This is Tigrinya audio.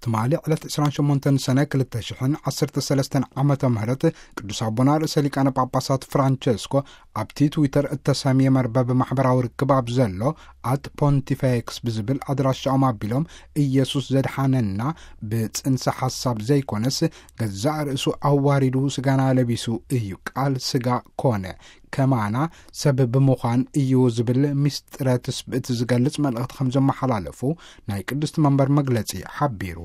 ትማሊ ዕለት ዕስራን ሸሞንተን ሰነ ክልተ ሽሕን ዓሰርተ ሰለስተን ዓመተ ምህረት ቅዱስ ኣቦና ርእሰ ሊቃነ ጳጳሳት ፍራንቸስኮ ኣብቲ ትዊተር እተሰምየ መርበብ ማሕበራዊ ርክብ ኣብ ዘሎ ኣት ፖንቲፌክስ ብዝብል ኣድራሻኦም ኣቢሎም፣ ኢየሱስ ዘድሓነና ብጽንሰ ሓሳብ ዘይኮነስ ገዛእ ርእሱ ኣዋሪዱ ስጋና ለቢሱ እዩ፣ ቃል ስጋ ኮነ፣ ከማና ሰብ ብምዃን እዩ ዝብል ምስጢረ ትስብእት ዝገልጽ መልእኽቲ ከም ዘመሓላለፉ ናይ ቅድስቲ መንበር መግለጺ ሓቢሩ።